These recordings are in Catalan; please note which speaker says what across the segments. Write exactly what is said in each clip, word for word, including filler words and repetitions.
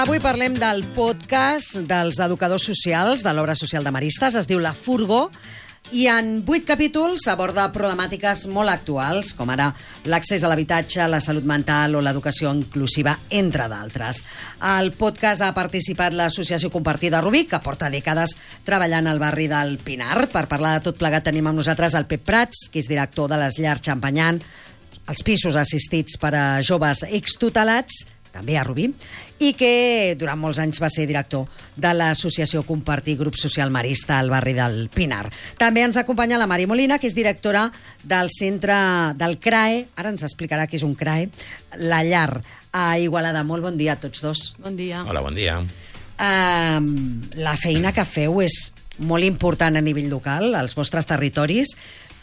Speaker 1: Avui parlem del podcast dels educadors socials de l'obra social de Maristes. Es diu La Furgo i en vuit capítols aborda problemàtiques molt actuals, com ara l'accés a l'habitatge, la salut mental o l'educació inclusiva, entre d'altres. Al podcast ha participat l'Associació Compartida Rubí, que porta dècades treballant al barri del Pinar. Per parlar de tot plegat tenim amb nosaltres el Pep Prats, que és director de les llars Xampanyant, els pisos assistits per a joves extutelats, també a Rubí, i que durant molts anys va ser director de l'Associació Compartir Grup Social Marista al barri del Pinar. També ens acompanya la Mari Molina, que és directora del centre del C R A E, ara ens explicarà què és un C R A E, La Llar, a Igualada. Molt bon dia a tots dos.
Speaker 2: Bon dia.
Speaker 3: Hola, bon dia.
Speaker 1: Uh, la feina que feu és molt important a nivell local, als vostres territoris,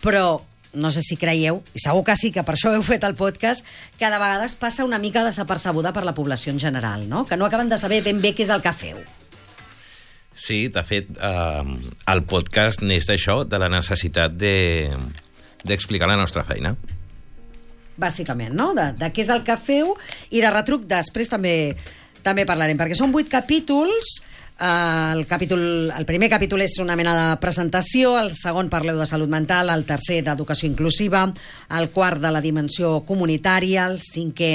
Speaker 1: però no sé si creieu, i segur que sí, que per això heu fet el podcast, que de vegades passa una mica desapercebuda per la població en general, no? Que no acaben de saber ben bé què és el que feu.
Speaker 3: Sí, de fet, eh, el podcast neix d'això, de la necessitat de d'explicar la nostra feina.
Speaker 1: Bàsicament, no? De, de què és el que feu, i de retruc després també també parlarem, perquè són vuit capítols. El, capítol, el primer capítol és una mena de presentació, el segon parleu de salut mental, el tercer d'educació inclusiva, el quart de la dimensió comunitària, el cinquè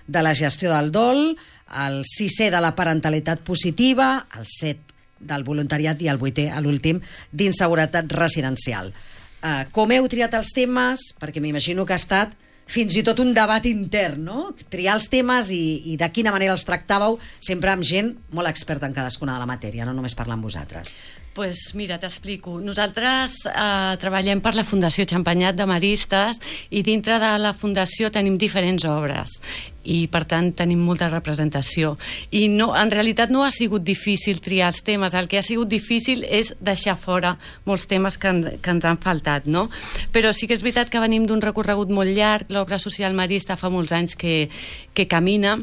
Speaker 1: de la gestió del dol, el sisè de la parentalitat positiva, el set del voluntariat i el vuitè, a l'últim, d'inseguretat residencial. Uh, com heu triat els temes? Perquè m'imagino que ha estat fins i tot un debat intern, no? Triar els temes i, i de quina manera els tractàveu, sempre amb gent molt experta en cadascuna de la matèria, no només parlar amb vosaltres.
Speaker 2: Pues mira, t'explico. Nosaltres eh, treballem per la Fundació Xampanyat de Maristes i dintre de la Fundació tenim diferents obres i per tant tenim molta representació i no, en realitat no ha sigut difícil triar els temes, el que ha sigut difícil és deixar fora molts temes que, en, que ens han faltat, no? Però sí que és veritat que venim d'un recorregut molt llarg, l'obra social marista fa molts anys que, que camina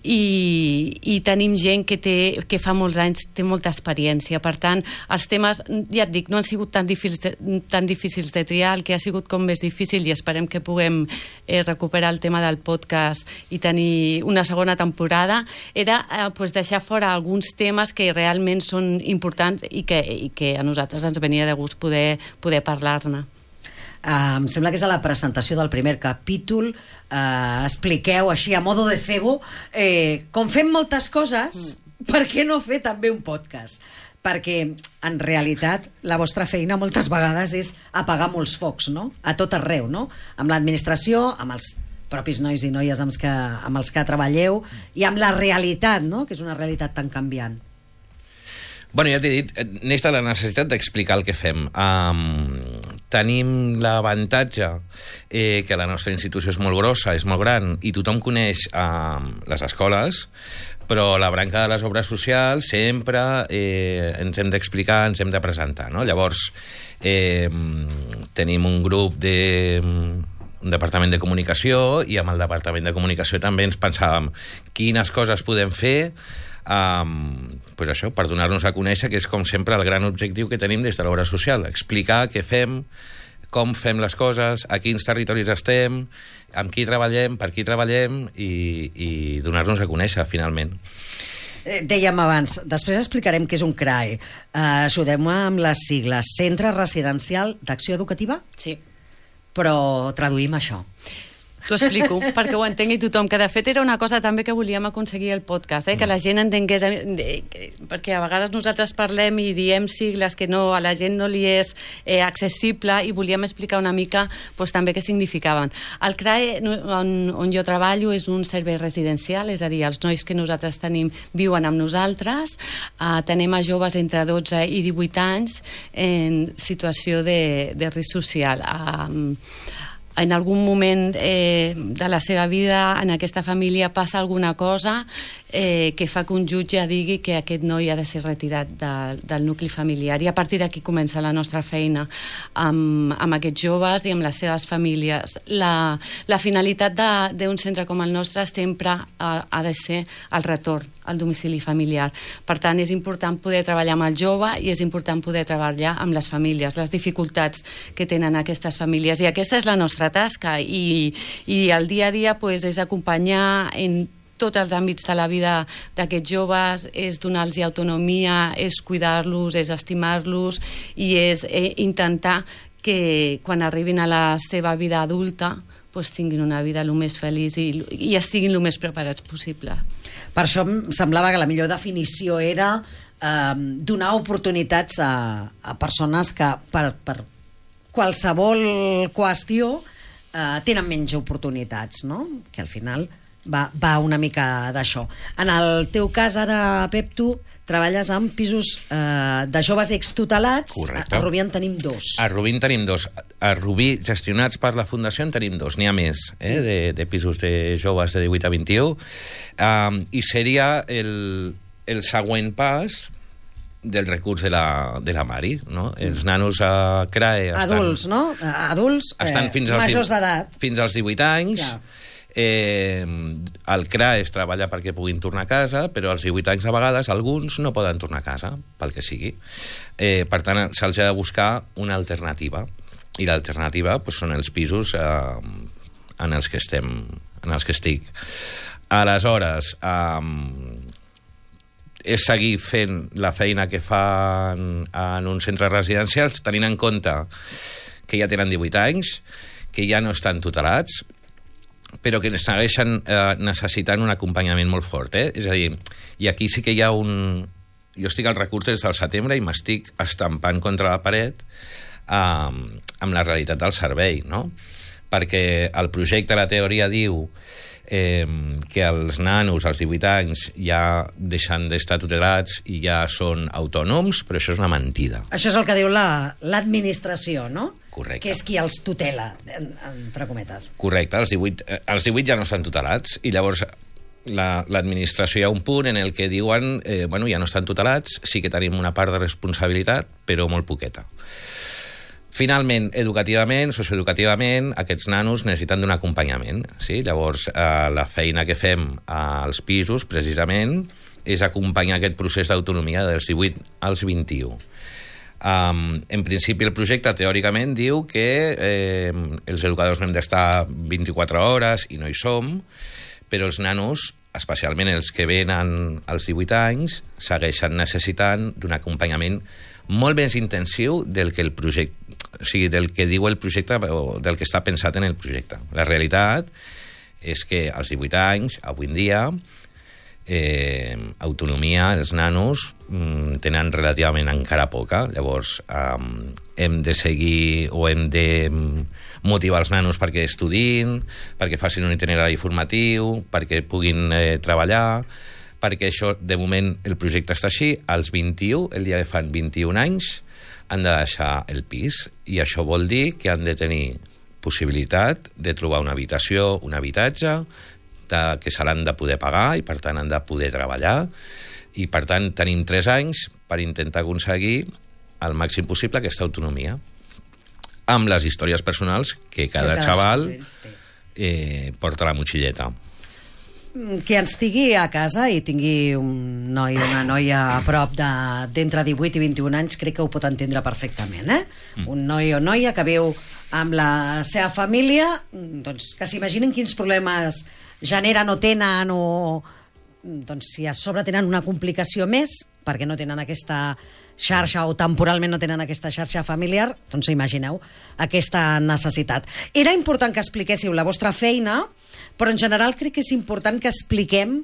Speaker 2: i, i tenim gent que, té, que fa molts anys té molta experiència, per tant els temes, ja et dic, no han sigut tan difícils de, tan difícils de triar, el que ha sigut com més difícil, i esperem que puguem eh, recuperar el tema del podcast i tenir una segona temporada, era eh, pues deixar fora alguns temes que realment són importants i que, i que a nosaltres ens venia de gust poder, poder parlar-ne.
Speaker 1: Uh, em sembla que és a la presentació del primer capítol, uh, expliqueu així a modo de cebo, eh, com fem moltes coses, mm. per què no fer també un podcast? Perquè en realitat la vostra feina moltes vegades és apagar molts focs, no? A tot arreu, no? Amb l'administració, amb els propis nois i noies amb els que, amb els que treballeu, i amb la realitat, no? Que és una realitat tan canviant.
Speaker 3: Bueno, ja t'he dit, neix de la necessitat d'explicar el que fem. Um, tenim l'avantatge eh, que la nostra institució és molt grossa, és molt gran, i tothom coneix um, les escoles, però la branca de les obres socials sempre eh, ens hem d'explicar, ens hem de presentar, no? Llavors, eh, tenim un grup de... un departament de comunicació, i amb el departament de comunicació també ens pensàvem quines coses podem fer um, pues això, per donar-nos a conèixer, que és com sempre el gran objectiu que tenim des de l'obra social, explicar què fem, com fem les coses, a quins territoris estem, amb qui treballem, per qui treballem, i, i donar-nos a conèixer finalment.
Speaker 1: Eh, dèiem abans, després explicarem què és un C R A E. Uh, Ajudem-me amb les sigles. Centre Residencial d'Acció Educativa?
Speaker 2: Sí.
Speaker 1: Però traduïm això.
Speaker 2: T'ho explico, perquè ho entengui tothom, que de fet era una cosa també que volíem aconseguir el podcast, eh? Que la gent entengués, perquè a vegades nosaltres parlem i diem sigles que no, a la gent no li és eh, accessible, i volíem explicar una mica pues, també què significaven. El C R A E, on, on jo treballo, és un servei residencial, és a dir, els nois que nosaltres tenim viuen amb nosaltres, eh, tenim a joves entre dotze i divuit anys en situació de, de risc social. Eh, en algun moment eh, de la seva vida en aquesta família passa alguna cosa eh, que fa que un jutge digui que aquest noi ha de ser retirat de, del nucli familiar, i a partir d'aquí comença la nostra feina amb, amb aquests joves i amb les seves famílies. La, la finalitat d'un centre com el nostre sempre ha, ha de ser el retorn al domicili familiar. Per tant, és important poder treballar amb el jove i és important poder treballar amb les famílies, les dificultats que tenen aquestes famílies. I aquesta és la nostra tasca i, i el dia a dia pues, és acompanyar en tots els àmbits de la vida d'aquests joves, és donar-los autonomia, és cuidar-los, és estimar-los i és eh, intentar que quan arribin a la seva vida adulta pues, tinguin una vida el més feliç i, i estiguin el més preparats possible.
Speaker 1: Per això em semblava que la millor definició era eh, donar oportunitats a, a persones que per, per qualsevol qüestió eh, tenen menys oportunitats, no? Que al final va, va una mica d'això. En el teu cas ara, Pep, tu treballes amb pisos eh, de joves extutelats.
Speaker 3: Correcte.
Speaker 1: A Rubí en tenim dos.
Speaker 3: A Rubí en tenim dos. A Rubí, gestionats per la Fundació, en tenim dos. N'hi ha més, eh, de, de pisos de joves de divuit a vint-i-u. Um, I seria el, el següent pas del recurs de la, de la Mari, no? Els nanos a C R A E estan...
Speaker 1: Adults, no? Adults, eh,
Speaker 3: estan fins als,
Speaker 1: majors d'edat.
Speaker 3: Fins als divuit anys.
Speaker 1: Ja.
Speaker 3: Eh, el C R A E es treballa perquè puguin tornar a casa, però als divuit anys a vegades alguns no poden tornar a casa, pel que sigui. Eh, per tant, se'ls ha de buscar una alternativa. I l'alternativa pues, són els pisos eh, en els que estem, en els que estic. Aleshores, eh, és seguir fent la feina que fan en uns centres residencials, tenint en compte que ja tenen divuit anys, que ja no estan tutelats, però que segueixen eh, necessitant un acompanyament molt fort. Eh? És a dir, i aquí sí que hi ha un... Jo estic al recurs des del setembre i m'estic estampant contra la paret eh, amb la realitat del servei, no? Perquè el projecte, la teoria diu eh, que els nanos als divuit anys ja deixen d'estar tutelats i ja són autònoms, però això és una mentida.
Speaker 1: Això és el que diu la, l'administració, no?
Speaker 3: Correcte.
Speaker 1: Que és qui els tutela, en, entre cometes.
Speaker 3: Correcte, els divuit, eh, els divuit ja no estan tutelats i llavors la, l'administració hi ha un punt en el que diuen eh, bueno, ja no estan tutelats, sí que tenim una part de responsabilitat, però molt poqueta. Finalment, educativament, socioeducativament, aquests nanos necessiten d'un acompanyament. Sí? Llavors, eh, la feina que fem als pisos, precisament, és acompanyar aquest procés d'autonomia dels divuit als vint-i-u. Um, en principi, el projecte, teòricament, diu que eh, els educadors no hem d'estar vint-i-quatre hores i no hi som, però els nanos, especialment els que venen als divuit anys, segueixen necessitant d'un acompanyament molt més intensiu del que el projecte, o sigui, del que diu el projecte o del que està pensat en el projecte. La realitat és que als divuit anys, avui en dia, eh, autonomia, els nanos mm, tenen relativament encara poca. Llavors, eh, hem de seguir o hem de motivar els nanos perquè estudin, perquè facin un itinerari formatiu, perquè puguin eh, treballar, perquè això, de moment, el projecte està així. Als vint-i-u, el dia que fan vint-i-un anys, han de deixar el pis, i això vol dir que han de tenir possibilitat de trobar una habitació, un habitatge, de, que se l'han de poder pagar, i per tant han de poder treballar, i per tant tenim tres anys per intentar aconseguir al màxim possible aquesta autonomia, amb les històries personals que cada, que cada xaval eh, porta a la motxilleta.
Speaker 1: Que ens tingui a casa i tingui un noi o una noia a prop de, d'entre divuit i vint-i-un anys, crec que ho pot entendre perfectament, eh? Mm. Un noi o noia que viu amb la seva família, doncs que s'imaginin quins problemes generen o tenen, o doncs si a sobre tenen una complicació més perquè no tenen aquesta xarxa o temporalment no tenen aquesta xarxa familiar, doncs imagineu aquesta necessitat. Era important que expliquéssiu la vostra feina, però en general crec que és important que expliquem,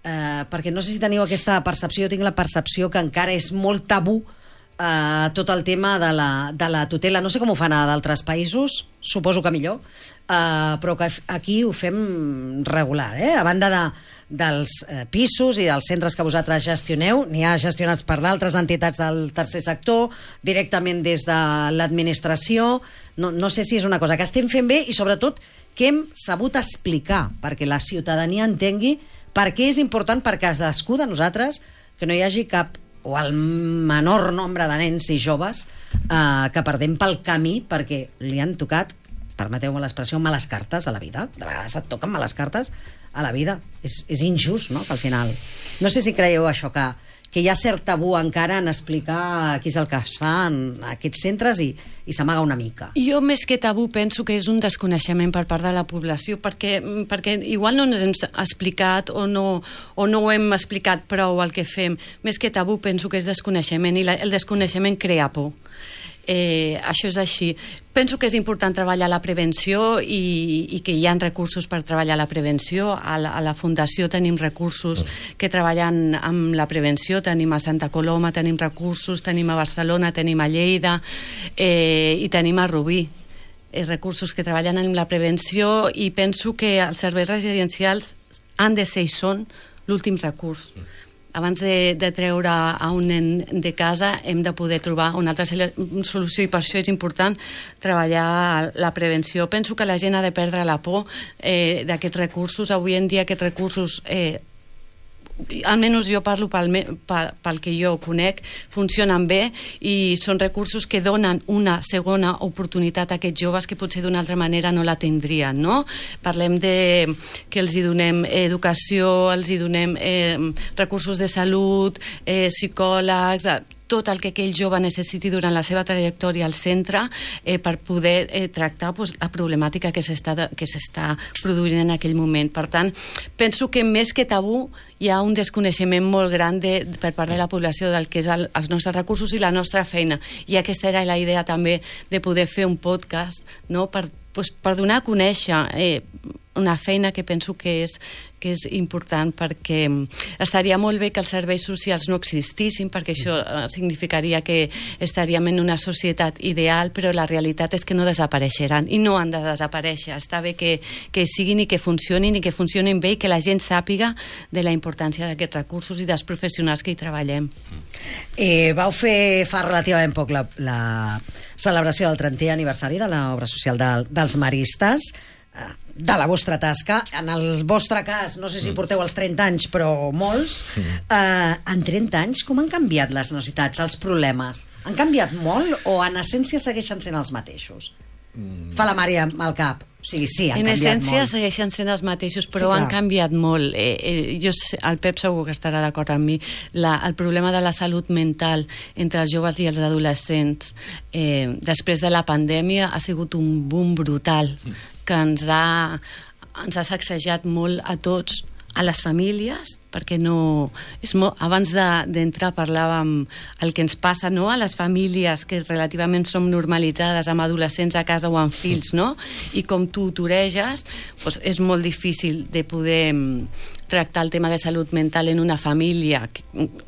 Speaker 1: eh, perquè no sé si teniu aquesta percepció, jo tinc la percepció que encara és molt tabú eh, tot el tema de la, de la tutela. No sé com ho fan a d'altres països, suposo que millor, eh, però que aquí ho fem regular, eh? A banda de dels eh, pisos i dels centres que vosaltres gestioneu, n'hi ha gestionats per d'altres entitats del tercer sector, directament des de l'administració. No, no sé si és una cosa que estem fent bé i sobretot que hem sabut explicar perquè la ciutadania entengui per què és important per cadascú de nosaltres que no hi hagi cap o el menor nombre de nens i joves eh, que perdem pel camí perquè li han tocat, permeteu-me l'expressió, males cartes a la vida. De vegades et toquen males cartes a la vida. És, és injust, no?, que al final... No sé si creieu això, que, que hi ha cert tabú encara en explicar què és el que es fa en aquests centres i, i s'amaga una mica.
Speaker 2: Jo, més que tabú, penso que és un desconeixement per part de la població, perquè, perquè igual no ens hem explicat o no, o no ho hem explicat prou el que fem. Més que tabú, penso que és desconeixement, i la, el desconeixement crea por. Eh, això és així. Penso que és important treballar la prevenció i, i que hi ha recursos per treballar la prevenció. A la, a la Fundació tenim recursos que treballen amb la prevenció, tenim a Santa Coloma, tenim recursos, tenim a Barcelona, tenim a Lleida eh, i tenim a Rubí. Eh, recursos que treballen en la prevenció, i penso que els serveis residencials han de ser i són l'últim recurs. Abans de, de treure a un nen de casa hem de poder trobar una altra solució, i per això és important treballar la prevenció. Penso que la gent ha de perdre la por eh, d'aquests recursos. Avui en dia aquests recursos, eh, almenys jo parlo pel, pel, pel que jo conec, funcionen bé i són recursos que donen una segona oportunitat a aquests joves que potser d'una altra manera no la tindrien, no? Parlem de que els hi donem educació, els hi donem eh, recursos de salut, eh, psicòlegs, tot el que aquell jove necessiti durant la seva trajectòria al centre eh, per poder eh, tractar pues, la problemàtica que s'està que s'està produint en aquell moment. Per tant, penso que més que tabú hi ha un desconeixement molt gran de, per part de la població del que és el, els nostres recursos i la nostra feina. I aquesta era la idea també de poder fer un podcast, no?, per, pues, per donar a conèixer eh, una feina que penso que és, que és important, perquè estaria molt bé que els serveis socials no existissin, perquè això significaria que estaríem en una societat ideal, però la realitat és que no desapareixeran i no han de desaparèixer. Està bé que, que siguin i que funcionin i que funcionin bé i que la gent sàpiga de la importància d'aquests recursos i dels professionals que hi treballem.
Speaker 1: Eh, vau fer fa relativament poc la, la celebració del trentè aniversari de l'obra social de, dels maristes, de la vostra tasca. En el vostre cas, no sé si porteu els trenta anys, però molts. Eh, en trenta anys, com han canviat les necessitats, els problemes? Han canviat molt o en essència segueixen sent els mateixos? Fa la Mària al cap. O sigui, sí, han
Speaker 2: en
Speaker 1: canviat
Speaker 2: essència
Speaker 1: molt.
Speaker 2: segueixen sent els mateixos, però
Speaker 1: Sí,
Speaker 2: han
Speaker 1: clar.
Speaker 2: canviat molt. Eh, eh, jo, sé- el Pep segur que estarà d'acord amb mi. La, el problema de la salut mental entre els joves i els adolescents eh, després de la pandèmia ha sigut un boom brutal que ens ha, ens ha sacsejat molt a tots, a les famílies, perquè no... És molt, abans de- d'entrar parlàvem el que ens passa, no?, a les famílies que relativament som normalitzades amb adolescents a casa o amb fills, no? I com tu ho toreges, doncs és molt difícil de poder mm, tractar el tema de salut mental en una família que,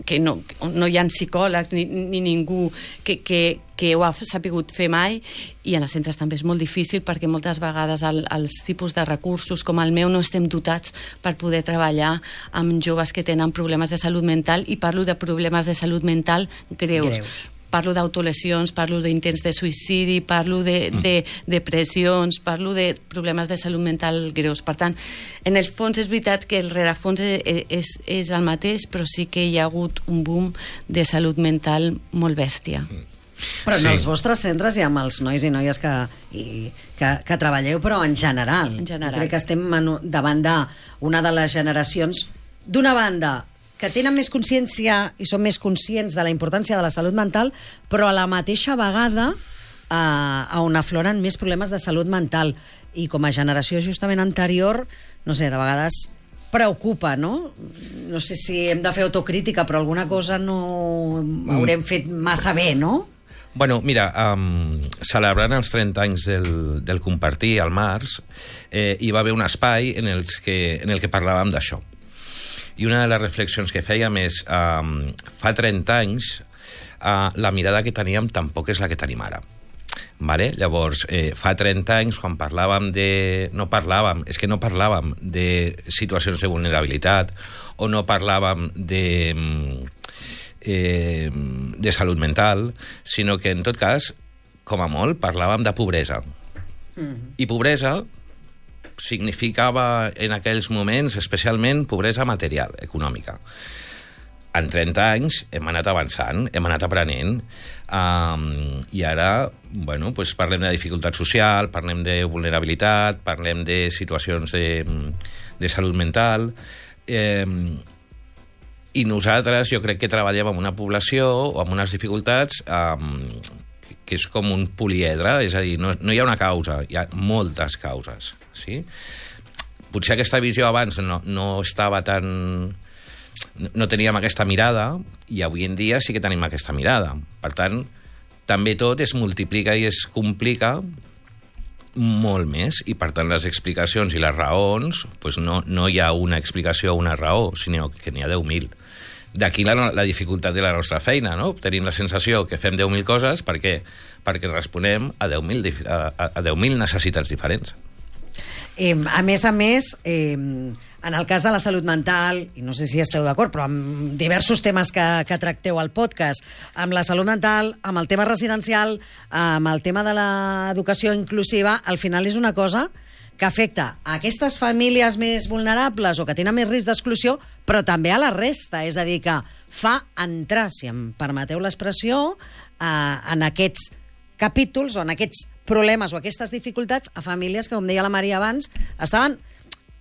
Speaker 2: que no, no hi ha psicòleg ni, ni ningú que, que, que ho ha sapigut fer mai, i en els centres també és molt difícil perquè moltes vegades el, els tipus de recursos com el meu no estem dotats per poder treballar amb joves que tenen problemes de salut mental, i parlo de problemes de salut mental greus.
Speaker 1: Greus.
Speaker 2: Parlo d'autolesions, parlo d'intents de suïcidi, parlo de, de depressions, parlo de problemes de salut mental greus. Per tant, en el fons és veritat que el rerefons és, és, és el mateix, però sí que hi ha hagut un boom de salut mental molt bèstia.
Speaker 1: Però en
Speaker 3: Sí.
Speaker 1: els vostres centres i amb els nois i noies que, i, que, que treballeu, però en general.
Speaker 2: En general.
Speaker 1: Jo crec que estem en, davant d'una de les generacions, d'una banda, que tenen més consciència i són més conscients de la importància de la salut mental, però a la mateixa vegada eh, on afloren més problemes de salut mental. I com a generació justament anterior, no sé, de vegades preocupa, no? No sé si hem de fer autocrítica, però alguna cosa no haurem fet massa bé, no?
Speaker 3: Bueno, mira, um, celebrant els trenta anys del, del Compartir al març, eh, hi va haver un espai en, els que, en el que parlàvem d'això. I una de les reflexions que fèiem és, um, fa trenta anys, uh, la mirada que teníem tampoc és la que tenim ara. Vale? Llavors, eh, fa trenta anys, quan parlàvem de... No parlàvem, és que no parlàvem de situacions de vulnerabilitat, o no parlàvem de... Eh, de salut mental, sinó que en tot cas, com a molt, parlàvem de pobresa. Mm-hmm. I pobresa significava en aquells moments especialment pobresa material, econòmica. En trenta anys hem anat avançant, hem anat aprenent, um, i ara, bueno, pues parlem de dificultat social, parlem de vulnerabilitat, parlem de situacions de, de salut mental, eh, i nosaltres jo crec que treballem amb una població o amb unes dificultats eh, que és com un poliedre, és a dir, no, no hi ha una causa, hi ha moltes causes, sí? Potser aquesta visió abans no, no estava tan... no teníem aquesta mirada, i avui en dia sí que tenim aquesta mirada. Per tant, també tot es multiplica i es complica molt més, i per tant les explicacions i les raons, doncs no, no hi ha una explicació o una raó, sinó que n'hi ha deu mil. D'aquí la, la dificultat de la nostra feina, no? Tenim la sensació que fem deu mil coses, per què? Perquè responem a deu mil a, a deu mil necessitats diferents.
Speaker 1: Eh, a més a més, eh, en el cas de la salut mental, i no sé si esteu d'acord, però amb diversos temes que, que tracteu al podcast, amb la salut mental, amb el tema residencial, amb el tema de l'educació inclusiva, al final és una cosa que afecta a aquestes famílies més vulnerables o que tenen més risc d'exclusió, però també a la resta. És a dir, que fa entrar, si em permeteu l'expressió, eh, en aquests capítols o en aquests problemes o aquestes dificultats a famílies que, com deia la Maria abans, estaven,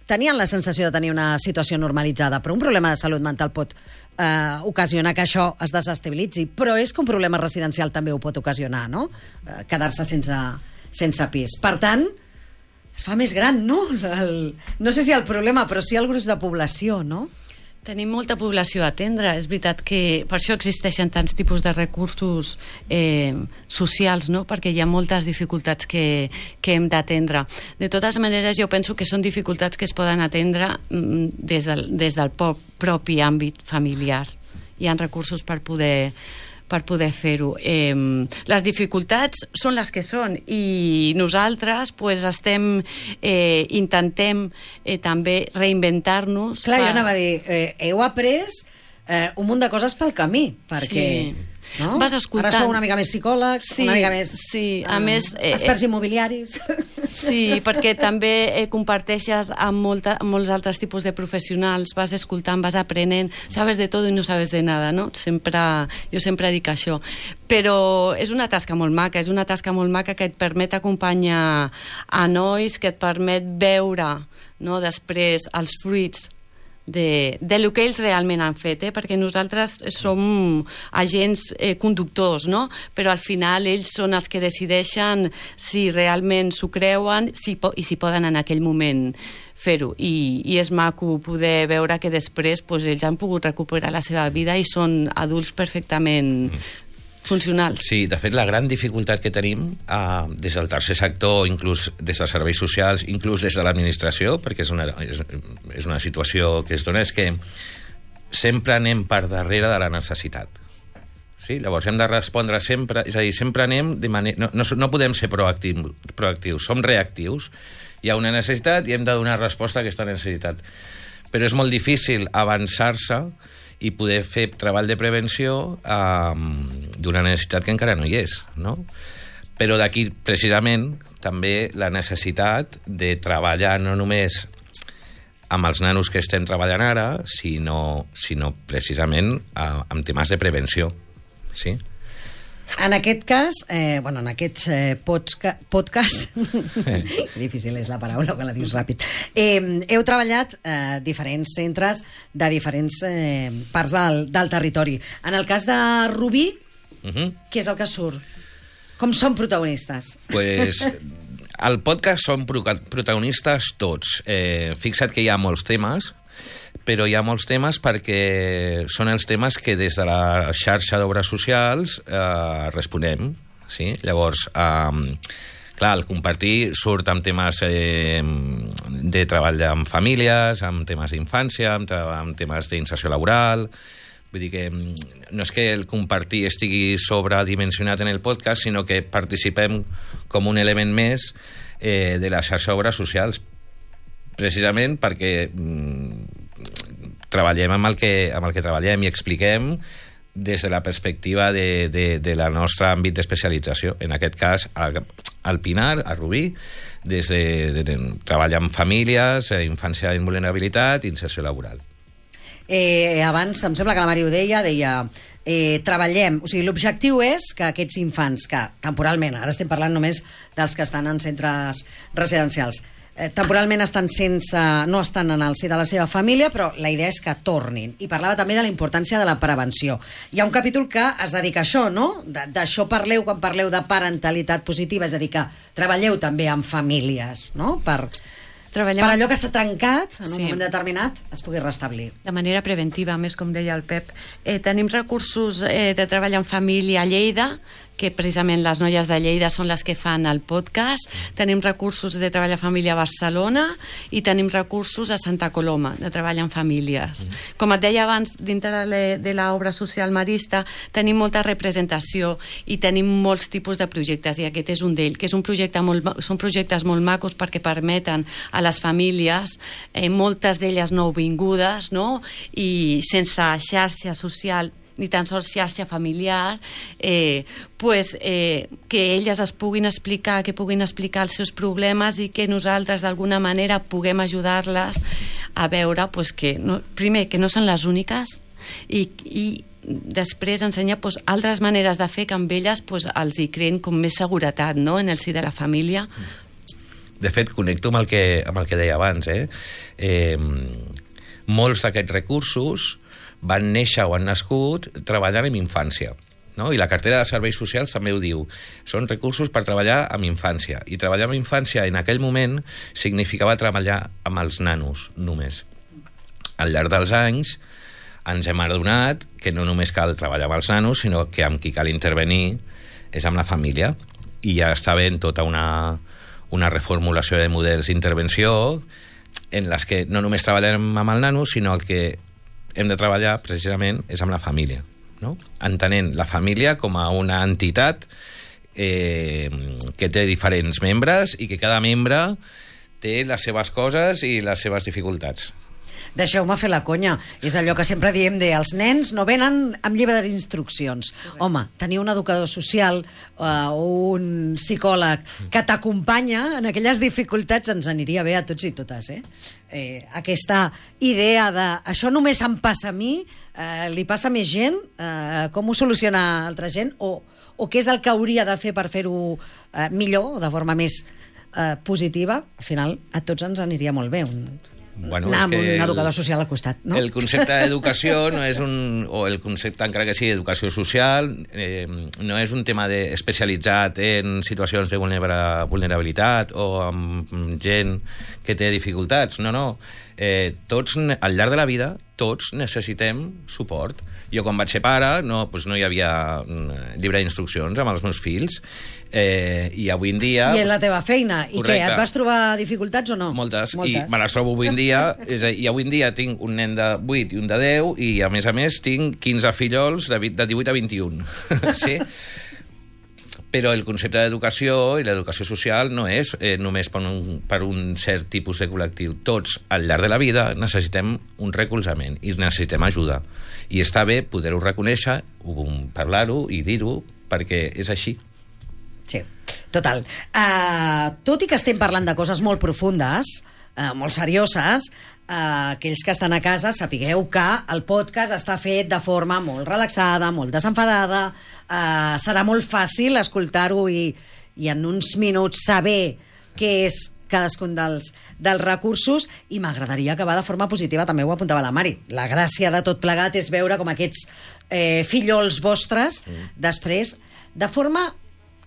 Speaker 1: tenien la sensació de tenir una situació normalitzada, però un problema de salut mental pot eh, ocasionar que això es desestabilitzi, però és que un problema residencial també ho pot ocasionar, no? Eh, quedar-se sense, sense pis. Per tant, es fa més gran, no? El, no sé si el problema, però sí el gruix de població, no?
Speaker 2: Tenim molta població a atendre. És veritat que per això existeixen tants tipus de recursos eh, socials, no? Perquè hi ha moltes dificultats que, que hem d'atendre. De totes maneres, jo penso que són dificultats que es poden atendre mm, des del, des del propi àmbit familiar. Hi ha recursos per poder per poder fer-ho. Eh, les dificultats són les que són, i nosaltres pues, estem eh, intentem eh, també reinventar-nos.
Speaker 1: Clar,
Speaker 2: per...
Speaker 1: jo anava a dir, eh, heu après eh, un munt de coses pel camí, perquè...
Speaker 2: Sí.
Speaker 1: No?
Speaker 2: Vas escoltant.
Speaker 1: Ara sou una mica més psicòlegs,
Speaker 2: sí,
Speaker 1: una mica més...
Speaker 2: Sí, a
Speaker 1: eh,
Speaker 2: més... Eh,
Speaker 1: experts immobiliaris.
Speaker 2: Sí, perquè també eh, comparteixes amb, molta, amb molts altres tipus de professionals, vas escoltant, vas aprenent, sabes de tot i no sabes de nada, no? Sempre, jo sempre dic això. Però és una tasca molt maca, és una tasca molt maca que et permet acompanyar a nois, que et permet veure, no, després els fruits de, de lo que ells realment han fet, eh? Perquè nosaltres som agents eh, conductors, no? Però al final ells són els que decideixen si realment s'ho creuen si po i si poden en aquell moment fer-ho, I, i és maco poder veure que després pues, ells han pogut recuperar la seva vida i són adults perfectament funcionals.
Speaker 3: Sí, de fet, la gran dificultat que tenim eh, des del tercer sector, inclús des dels serveis socials, inclús des de l'administració, perquè és una, és, és una situació que es dona, és que sempre anem per darrere de la necessitat. Sí? Llavors hem de respondre sempre, és a dir, sempre anem de manera... No, no, no podem ser proactius, proactius, som reactius. Hi ha una necessitat i hem de donar resposta a aquesta necessitat. Però és molt difícil avançar-se i poder fer treball de prevenció eh, d'una necessitat que encara no hi és, no? Però d'aquí, precisament, també la necessitat de treballar no només amb els nanos que estem treballant ara, sinó, sinó precisament eh, amb temes de prevenció, sí?
Speaker 1: En aquest cas, eh, bueno, en aquest eh, podca podcast, eh. difícil és la paraula quan la dius ràpid, eh, heu treballat eh, diferents centres de diferents eh, parts del, del territori. En el cas de Rubí, uh -huh. què és el que surt? Com són protagonistes?
Speaker 3: Pues, al podcast són protagonistes tots. Eh, fixa't que hi ha molts temes, però hi ha molts temes perquè són els temes que des de la xarxa d'obres socials eh, responem, sí? Llavors, eh, clar, el compartir surt amb temes eh, de treball amb famílies, amb temes d'infància, amb, amb temes d'inserció laboral. Vull dir que no és que el compartir estigui sobredimensionat en el podcast, sinó que participem com un element més eh, de la xarxa d'obres socials, precisament perquè treballem amb el que, amb el que treballem i expliquem des de la perspectiva de, de, de la nostra àmbit d'especialització. En aquest cas, al Pinar, a Rubí, des de, de, de treballar amb famílies, infància en vulnerabilitat i inserció laboral.
Speaker 1: Eh, abans, em sembla que la Mari ho deia, deia eh, treballem, o sigui, l'objectiu és que aquests infants que temporalment, ara estem parlant només dels que estan en centres residencials, eh, temporalment estan sense, no estan en el si de la seva família, però la idea és que tornin. I parlava també de la importància de la prevenció. Hi ha un capítol que es dedica a això, no? D'això parleu quan parleu de parentalitat positiva, és a dir, que treballeu també amb famílies, no? Per... Treballem... per allò que s'ha trencat en un sí. moment determinat es pugui restablir.
Speaker 2: De manera preventiva, més com deia el Pep. Eh, tenim recursos eh, de treball en família a Lleida, que precisament les noies de Lleida són les que fan el podcast. Tenim recursos de treball en família a Barcelona i tenim recursos a Santa Coloma, de treball en famílies. Mm. Com et deia abans, dintre de l'obra social marista tenim molta representació i tenim molts tipus de projectes, i aquest és un d'ells, que és un projecte molt, són projectes molt macos perquè permeten a les famílies, eh, moltes d'elles nouvingudes, no? I sense xarxa social ni tan sols xarxa familiar, eh, pues, eh, que elles es puguin explicar, que puguin explicar els seus problemes i que nosaltres d'alguna manera puguem ajudar-les a veure pues, que, no, primer, que no són les úniques i, i després ensenyar pues, altres maneres de fer que amb elles pues, els hi creen com més seguretat, no?, en el si de la família.
Speaker 3: De fet, connecto amb el que, amb el que deia abans. Eh? Eh, molts d'aquests recursos van néixer o han nascut treballant amb infància, no? I la cartera de serveis socials també ho diu. Són recursos per treballar amb infància. I treballar amb infància en aquell moment significava treballar amb els nanos, només. Al llarg dels anys ens hem adonat que no només cal treballar amb els nanos, sinó que amb qui cal intervenir és amb la família. I ja està ben tota una, una reformulació de models d'intervenció en les que no només treballem amb el nano, sinó el que hem de treballar precisament és amb la família, no? Entenent la família com a una entitat eh, que té diferents membres i que cada membre té les seves coses i les seves dificultats.
Speaker 1: Deixeu-me fer la conya. És allò que sempre diem de els nens no venen amb llibre d'instruccions. Home, tenir un educador social o uh, un psicòleg que t'acompanya en aquelles dificultats ens aniria bé a tots i totes, eh? Eh, aquesta idea de això només em passa a mi, eh, li passa a més gent, eh, com ho soluciona altra gent, o, o què és el que hauria de fer per fer-ho eh, millor, o de forma més eh, positiva. Al final a tots ens aniria molt bé un... Bueno, anar amb un educador el, social al costat, no?
Speaker 3: El concepte d'educació no és un... o el concepte, encara que sigui educació social, eh, no és un tema de, especialitzat en situacions de vulnerabilitat o amb gent que té dificultats. No, no. Eh, tots, al llarg de la vida, tots necessitem suport. Jo, quan vaig ser pare, no, doncs no hi havia llibre d'instruccions amb els meus fills, eh, i avui en dia...
Speaker 1: I en la teva feina. I correcte. Què, et vas trobar dificultats o no?
Speaker 3: Moltes, Moltes. I me les trobo avui en dia, és a, i avui en dia tinc un nen de vuit i un de deu, i a més a més tinc quinze fillols de, de divuit a vint-i-un. Sí? Però el concepte d'educació i l'educació social no és eh, només per un, per un cert tipus de col·lectiu. Tots, al llarg de la vida, necessitem un recolzament i necessitem ajuda. I està bé poder-ho reconèixer, parlar-ho i dir-ho, perquè és així.
Speaker 1: Sí, total. Uh, tot i que estem parlant de coses molt profundes, uh, molt serioses, Uh, aquells que estan a casa sapigueu que el podcast està fet de forma molt relaxada, molt desenfadada, uh, serà molt fàcil escoltar-ho i, i en uns minuts saber què és cadascun dels, dels recursos, i m'agradaria acabar de forma positiva. També ho apuntava la Mari, la gràcia de tot plegat és veure com aquests eh, fillols vostres mm. després, de forma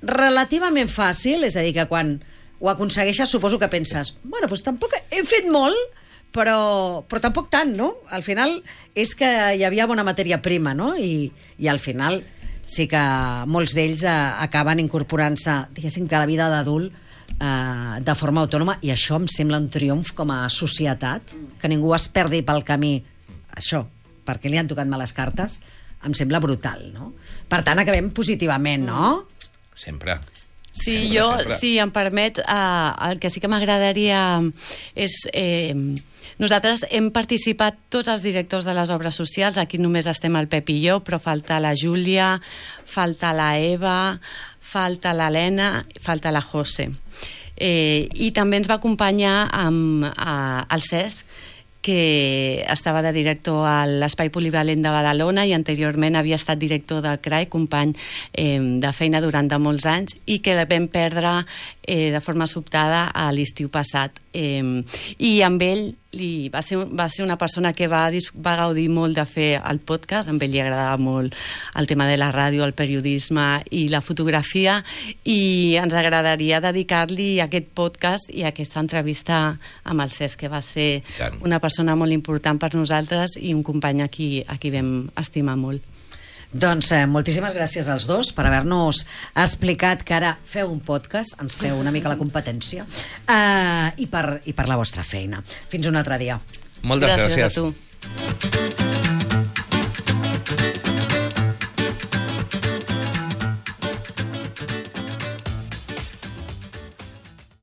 Speaker 1: relativament fàcil, és a dir, que quan ho aconsegueixes suposo que penses, bueno, doncs tampoc he fet molt, però, però tampoc tant, no? Al final és que hi havia bona matèria prima, no? I, i al final sí que molts d'ells eh, acaben incorporant-se, diguéssim, que a la vida d'adult eh, de forma autònoma, i això em sembla un triomf com a societat, que ningú es perdi pel camí. Això, perquè li han tocat males cartes, em sembla brutal, no? Per tant, acabem positivament, no?
Speaker 3: Sempre.
Speaker 2: Sí,
Speaker 3: sempre,
Speaker 2: jo,
Speaker 3: sempre.
Speaker 2: si em permet, eh, el que sí que m'agradaria és... Eh, nosaltres hem participat tots els directors de les obres socials, aquí només estem el Pep i jo, però falta la Júlia, falta la Eva, falta l'Helena, falta la José. Eh, I també ens va acompanyar amb, a, el Cesc, que estava de director a l'Espai Polivalent de Badalona i anteriorment havia estat director del C R A I, company eh, de feina durant de molts anys, i que vam perdre eh, de forma sobtada a l'estiu passat. Eh, I amb ell li, va, ser, va ser una persona que va, va gaudir molt de fer el podcast, amb ell li agradava molt el tema de la ràdio, el periodisme i la fotografia, i ens agradaria dedicar-li aquest podcast i aquesta entrevista amb el Cesc, que va ser una persona molt important per nosaltres i un company a qui, a qui vam estimar molt.
Speaker 1: Doncs eh, moltíssimes gràcies als dos per haver-nos explicat que ara feu un podcast, ens feu una mica la competència, eh, i, per, i per la vostra feina. Fins un altre dia.
Speaker 3: Moltes gràcies.
Speaker 2: Gràcies a tu.